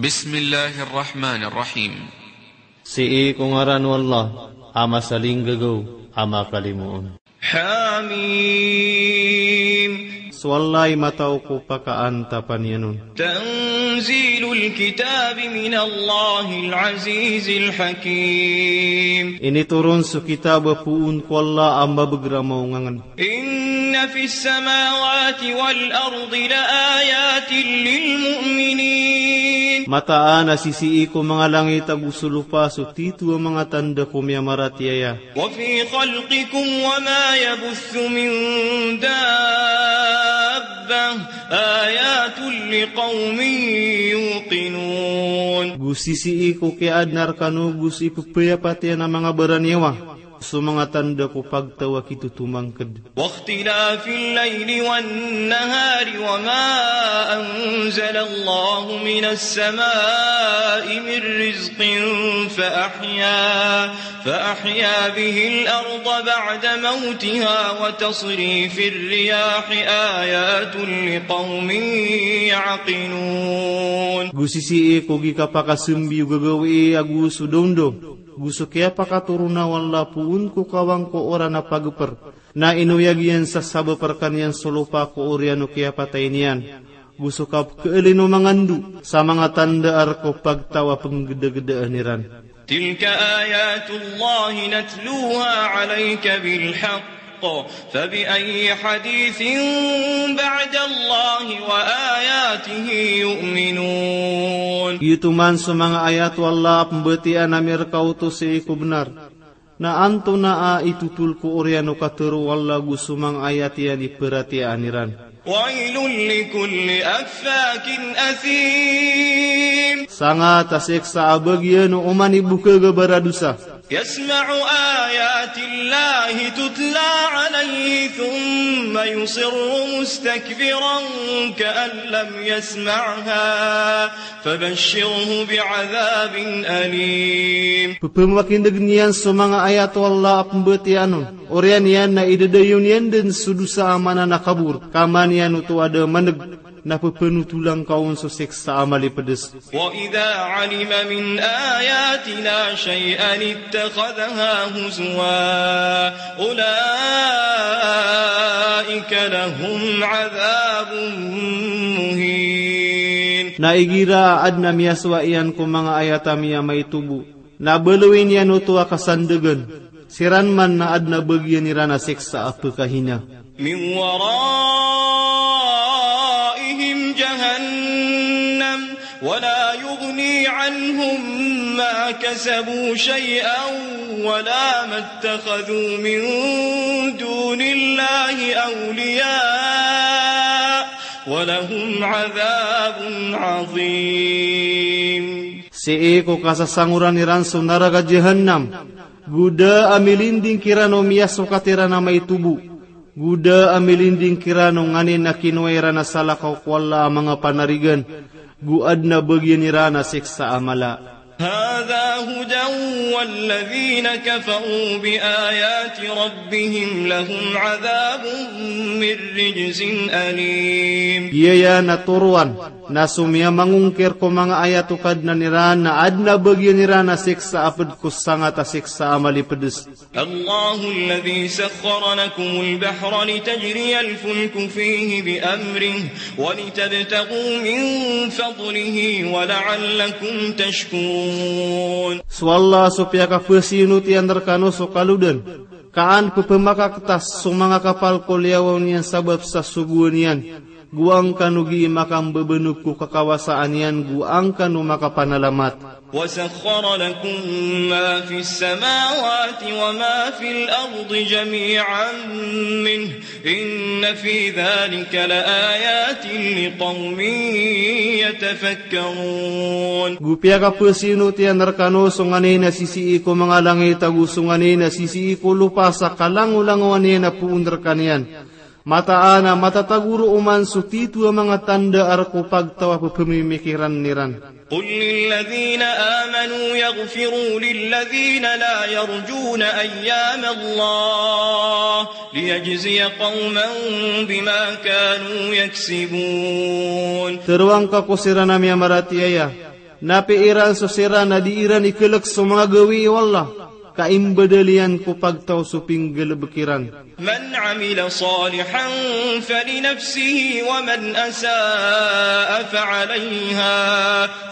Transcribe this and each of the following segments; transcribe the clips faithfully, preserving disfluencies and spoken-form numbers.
Bismillahir Rahmanir Rahim. Sii ko ngaran o Allah a masalinggagaw a makalimoon. Hamim. So Allah i matao ko pakaantapan iyan on. Tanzilul kitabi minallahil azizil hakim. Initoron so kitab a poon ko Allah a mabagr a maongangen. Inna fis samawati wal ardi la ayatin lil mu'minin. Mataan a sisii ko manga langit ago so lopa so tito a manga tanda ko miyamaratiyaya. Wa fi khalqikum wa ma yabuthu min dabbah ayatun liqawmin yuqinun. Go sisii ko kiyaadna rkano go so ipepayapatiyan a manga baraniyawa so manga tanda ko pagtaw a kitotomangked. Wa ikhtilafil layli wan nahari wa ma anzalallahu minas samai min rizqin fa ahya, fa ahya bihil arda ba'da mawtiha wa tasrifir riyahi ayatun liqawmin ya'qilun. Go sisii ko gii kapakasembi o gagawii ago so daondaw, go so kiyapakatoron o Allah poon ko kawang ko oran a pagper. Na inoyag iyan sa sabap rkaniyan so lopa ko oriyan o kiyapatay niyan. Go so kapkeelin o manga ndo sa manga tanda a rk o pagtaw a penggedagedaan iran. Tilka ayatullahi natluha alayka bil haqq, fa bi ayyi hadithin ba'dallahi wa ayatihi yu'minun. Giyoto man so manga ayat o Allah a pembatiyaan ami rka oto sii ko benar. Na antonaa i totol ko oriyan o katharo o Allah go so manga ayat iyan i paratiyayaan iran. Waylun likulli affakin athim. Sangat a siksa a bagian o oman i bokag a baradosa. Yasma'u ayatillahi tutla alayhi thumma yusirru mustakbiran ka'an lam yasma'ha. Fabashshirhu bi'adhabin alim. Pphamakinegen iyan so manga ayat o Allah a pmbatiyaan on. Oriyan iyan na idadayon iyan den so dosa a maana na kabor. Ka man iyan oto a da maneg na pphanotolan ka on so siksa a malipedes. Wa idha alima min ayatina shay'an ittakhadhaha huzwa. Ulaika lahum adhabun muhin. Na igira a adn a miyasowa iyan ko manga ayat ami a maito bo, na baloyin iyan oto a kasandegen, siran man na adn a bagian iran a siksa a pkahina. Min waraihim jahannam. ولا يغني عنهم ما كسبوا شيئا ولا ما اتخذوا من دون الله أولياء ولهم عذاب عظيم. Sii ko kasasangoran iran so naraka Jahannam, go da a milinding kiran o miyasokat iran a maito bo. Go da a milinding kiran o nganin a kinowa iran a salakaw ko Allah a manga panarigan, go adn a bagian iran a siksa a mala. هذا هدى والذين كفروا بآيات ربهم لهم عذاب من رجز أليم. Giyaya na toroan na so miyamangongkir ko manga ayat o Kadnan iran na adn a bagian iran a siksa a ped ko sangat a siksa a malipedes. الله الذي سخر لكم البحر لتجري الفلك فيه بأمره ولتبتغوا من فضله ولعلكم تشكرون. So Allah so piyakaphasinot iyan rekano so kalodan, ka an pephamakaktas so manga kapal ko liyawaw niyan sabap sa sogoan iyan, go an kano gii makambebenog ko kakawasaan iyan go an kano makapanalamat. وسخر لكم ما في السماوات وما في الأرض جميعا منه إن في ذلك لآيات لقوم يتفكرون. Go piyakaphasinot iyan rekano so nganin a sisii ko manga langit ago so nganin a sisii ko lopa sa kalangolangowan iyan a poon rekaniyan. Mataan a matatago roo man so tito a manga tanda a rk o pagtaw a pephamimikiran iran. قل للذين آمنوا يغفروا للذين لا يرجون أيام الله ليجزي قوما بما كانوا يكسبون. Tharoa ngka ko siran a miyamaratiyaya, Na pd iran so siran a di iran iklk so manga gawii o Allah, ka imbdl iyan ko pagtaw so pinggalbk iran. من عمل صالحا فلنفسه ومن أساء فعليها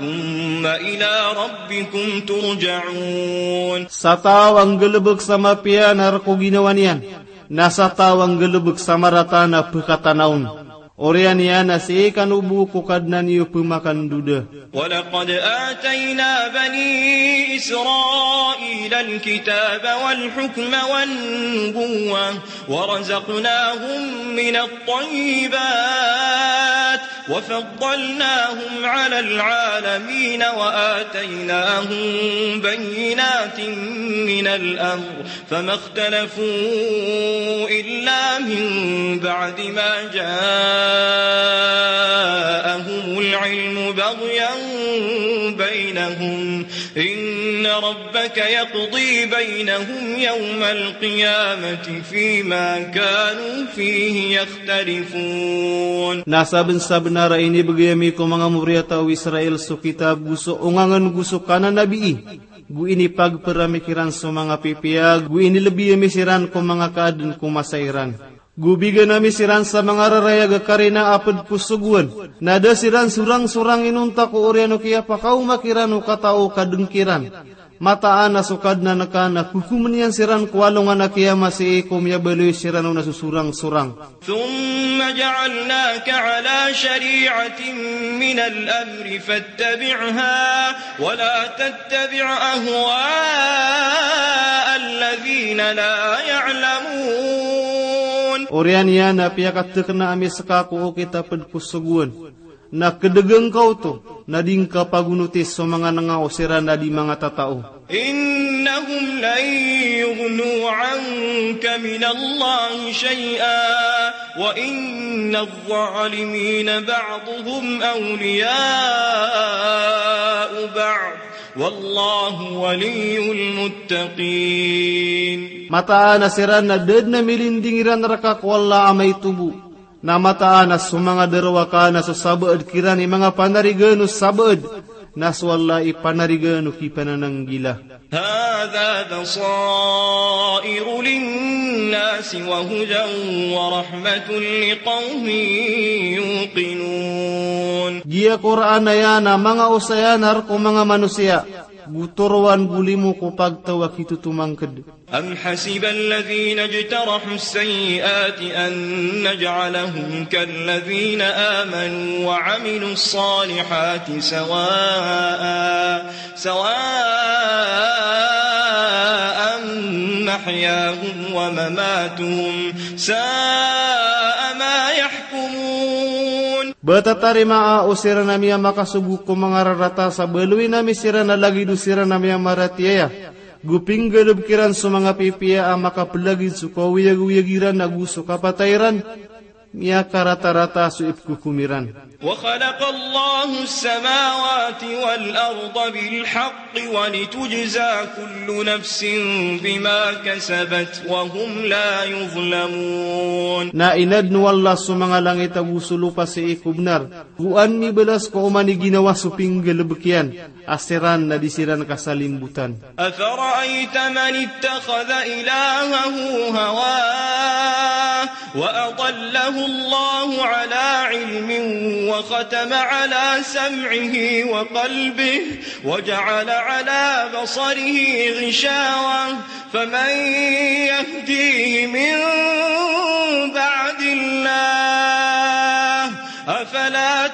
ثم إلى ربكم ترجعون. Sa taw a nggalbk sa mapiya na rk o ginawa niyan, na sa taw a nggalbk sa marata na pkatana on. Oriyan iyan a sii kano bo ko Kadnan iyo pmakandoda. ولقد آتينا بني إسرائيل الكتاب والحكم والنبوة ورزقناهم من الطيبات وفضلناهم على العالمين وآتيناهم بينات من الأمر فما اختلفوا إلا من بعد ما جاءهم العلم بغيا بينهم إن ربك يقضي بينهم يوم القيامة فيما كانوا فيه يختلفون. Na sabnsabnar a inibgay ami ko manga moriyataw o Israel so kitab go so ongangen go so kananabii, go inipagpramik iran so manga pipiya, go inilbi ami siran ko manga kaadn ko masa iran. Go bigan ami siran sa manga rarayag a karina a pd ko sogoan, na da siran sorangsorang inonta ko oriyan o kiyapakaoma kiran o katao ka dn kiran. Mataan a so Kadnan ka na kokomn iyan siran ko alongan a kiyama sii ko miyabaloy siran on a so sorangsorang. ثم جعلناك على شريعة من الأمر فاتبعها ولا تتبع أهواء الذين لا يعلمون. Oriyan iyan a piyakatdkna ami ska ko okit a pd ko sogoan. Na kdgn ka oto, na di ngka pagonoti so manga nanga o siran a di manga tatao. إنهم لن يغنوا عنك من الله شيئا وإن الظالمين بعضهم أولياء بعض والله ولي المتقين. Mataan a siran na da dn a milinding iran rka ko Allah a maito bo. Na mataan a so manga darowaka na so sabaad kiran i manga panarigaan o sabaad, na so Allah i panarigaan o kipanananggila. هذا بصائر للناس وهدى ورحمة لقوم يوقنون. Giya Qur'an aya na manga osayan a rk o manga manosiya, go toroan go limo ko pagtaw a kitotomangkd. أم حسب الذين اجترحوا السيئات أن نجعلهم كالذين آمنوا وعملوا الصالحات سواء، سواء محياهم ومماتهم، ساء ما يحكمون. Ba tatarimaa o siran a miyamakasogo ko manga rarata sa baloyin ami siran a lagid o siran a miyamaratiyaya, go pinggalbk iran so manga pipiya a makaplagid so kaoyagoyag iran ago so kapatay iran, miyakaratarata so ipkokom iran. وخلق الله السماوات والأرض بالحق ولتجزى كل نفس بما كسبت وهم لا يظلمون. Na inadn o Allah so manga langit ago so lopa sii ko bnar, go an mibalas ko oman i ginawa so pinggalbk iyan, a siran na di siran kasalimbotan. أفرأيت من اتخذ إلهه هواه وأضله الله على علم وختم على سمعه وقلبه وجعل على بصره غشاوة فمن يهديه من بعد الله أفلا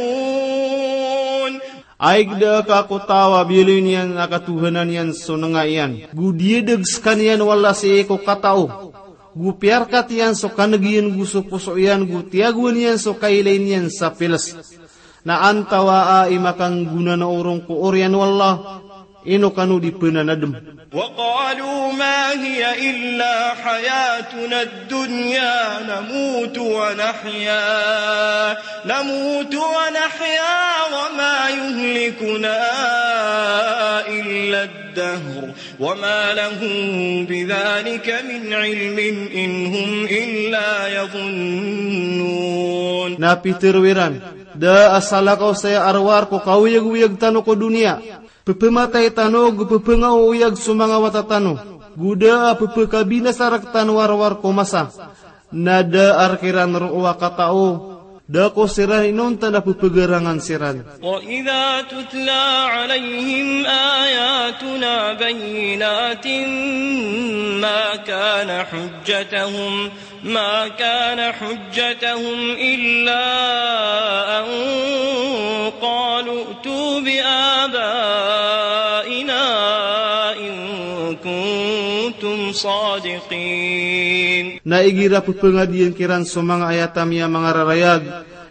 تذكرون. Aig da ka ko taw a biyaloy niyan a katohanan iyan so nanga iyan, go diyadg skaniyan o Allah sii ko katao, go piyarkat iyan so kaneg iyan go so poso iyan, go tiyagoan iyan so kailay niyan sa piles. Na antawaa i makanggona na orong ko oriyan o Allah, ino kano di pnanadm. وقالوا ما هي إلا حياتنا الدنيا نموت ونحيا، نموت ونحيا وما يهلكنا إلا الدهر وما لهم بذلك من علم إن هم إلا يظنون. Na pitharo iran, Da a salakaw saya a rowar ko kaoyagoyag tano ko doniya. Pepematay tano go pepengaoyag so manga wata tano. Go da a pepekabinasa rektano a rowar ko masa. Na da a rek iran roo a katao. Da ko siran inonta na pepegarangan siran. وإذا تتلى عليهم آياتنا بينات ما كان حجتهم، ما كان حجتهم إلا أن قالوا ائتوا بآبائنا إن كنتم صادقين. Na igira pepengadiyan kiran so manga ayat ami a manga rarayag,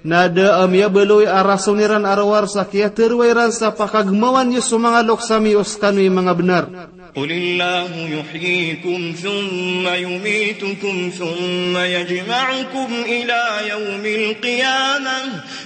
na da a miyabaloy a rason iran a rowar sa kiyateroa iran sa pakagemawan iyo so manga loks ami o sekano i manga benar. قل الله يحييكم ثم يميتكم ثم يجمعكم إلى يوم القيامة،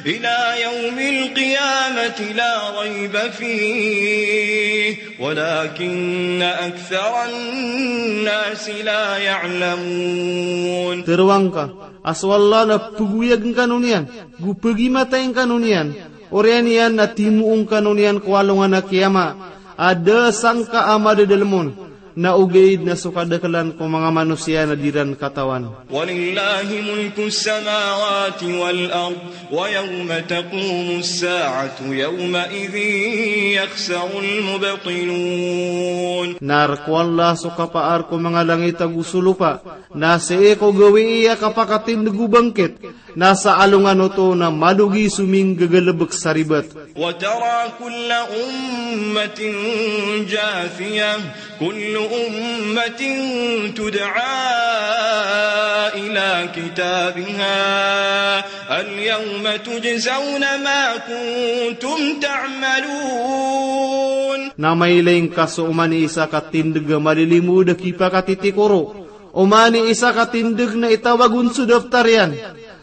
إلى يوم القيامة لا ريب فيه ولكن أكثر الناس لا يعلمون. Teroa ngka a so Allah na pegoyag ngkano niyan, go pegimatay ngkano niyan, oriyan iyan na timoong kano niyan ko alongan a kiyama, a da sangka a madadelem on, na ogaid na so kadakelan ko manga manosiya na di ran katawan. ولله ملك السماوات والأرض ويوم تقوم الساعة يومئذ يخسر المبطلون. Na rek o Allah so kapaar ko manga langit ago so lopa, na sii ko gawii a kapakatindeg o bangkit, na sa alongan oto na malogi so minggagalebek sa ribat. وترى كل أمة جاثية، كل أمة تدعى إلى كتابها اليوم تجزون ما كنتم تعملون. Na mailay ngka so oman i isa ka tindeg a malilimod a kipakatitikoro, oman i isa ka tindeg na itawag on so daftar iyan.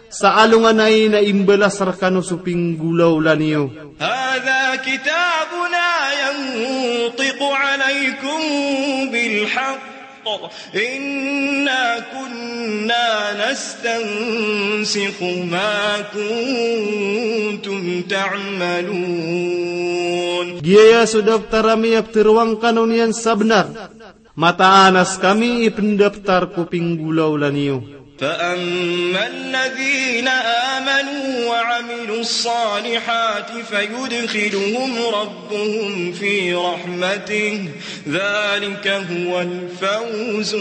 Sa alongan ai na imbalas rekano so pinggolawla niyo. هذا كتابنا ينطق عليكم بالحق إنا كنا نستنسخ ما كنتم تعملون. Giyaya so daftar ami a peteroa ngkano niyan sa benar. Mataan a sekami i pendaftar ko pinggolawla niyo. فأما الذين آمنوا وعملوا الصالحات فيدخلهم ربهم في رحمته ذلك هو الفوز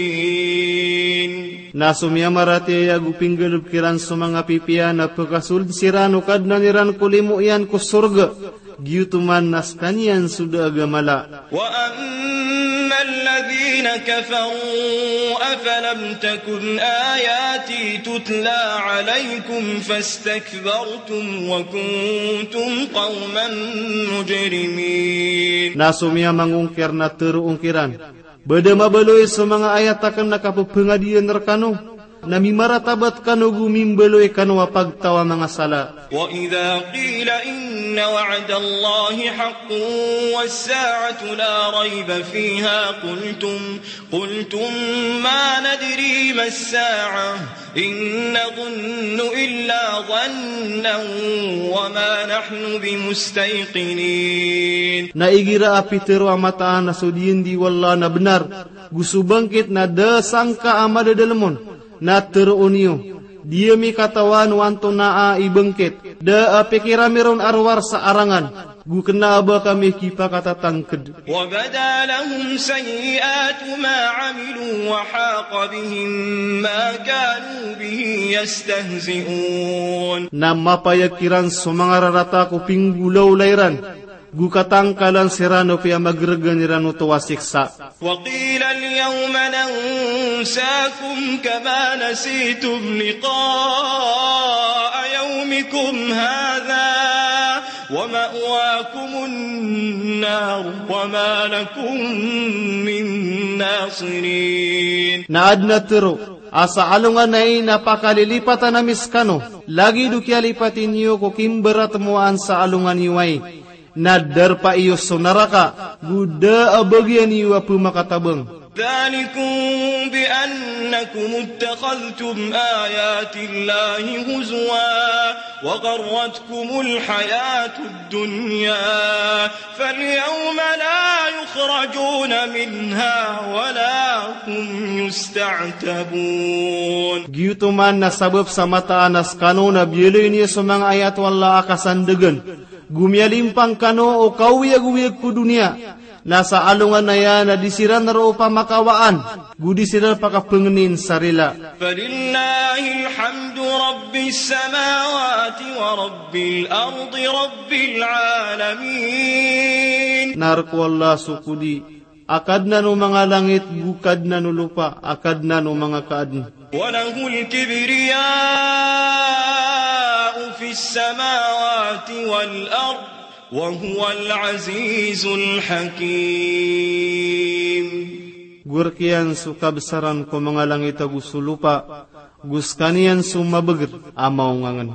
المبين. Na so miyamaratiyaya ago pinggalebek iran so manga pipiya na pekasold siran o Kadnan iran ko limo iyan ko sorga. Giyoto man na sekaniyan so da a gamala. وأما الذين كفروا أفلم تكن آياتي تتلى عليكم فاستكبرتم وكنتم قوما مجرمين. Na so miyamangongkir na teroon kiran, ba da mabaloy so manga ayat aken a kapepengadiyan rekano, na mimaratabat kano go mimbaloy kano a pagtaw a manga sala. وإذا قيل إن وعد الله حق والساعة لا ريب فيها قلتم، قلتم ما ندري ما الساعة إن نظن إلا ظنا وما نحن بمستيقنين. Na igira a pitero a mataan a so diyen di wallah na benar, go so bangkit na da sangka a madadalem on, na teroon iyo, di ami katawan o antonaa i bangkit, da a pikir ami ron a rowar sa arangan, go kena a ba kami kipakatatangked. وبدا لهم سيئات ما عملوا وحاق بهم ما كانوا به يستهزئون. Na mapayag kiran so manga rarata ko pinggolawla iran, go katangkalan siran o piyamageregan iran oto a siksa. وقيل اليوم ننساكم كما نسيتم لقاء يومكم هذا ومأواكم النار وما لكم من ناصرين. Na aden a tero a sa alongan ai na pakalilipatan ami sekano, lagid o kiyalipati niyo ko kimberatmoaan sa alongan iyo ai. Na darpa iyo so naraka, go da a bagian iyo a pemakatabang. ذلكم بأنكم اتخذتم آيات الله هزوا وغرتكم الحياة الدنيا فاليوم لا يخرجون منها ولا هم يستعتبون. Giyoto man na sabap sa mataan a skano na biyaloy niyo so manga ayat o Allah a kasandgn, go miyalimpang kano o kaoyagoyag ko doniya, na sa alongan aya na di siran roo pamakawaan, go di siran pakapngnin sa rila. فلله الحمد رب السماوات ورب الأرض رب العالمين. Na rk o Allah so kodi a Kadnan o manga langit, go Kadnan o lopa, a Kadnan o manga kaadn. وله الكبرياء في السماوات والأرض وهو العزيز الحكيم. Go rk iyan so kabsaran ko manga langit ago so lopa, go skaniyan so mabagr a maongangn.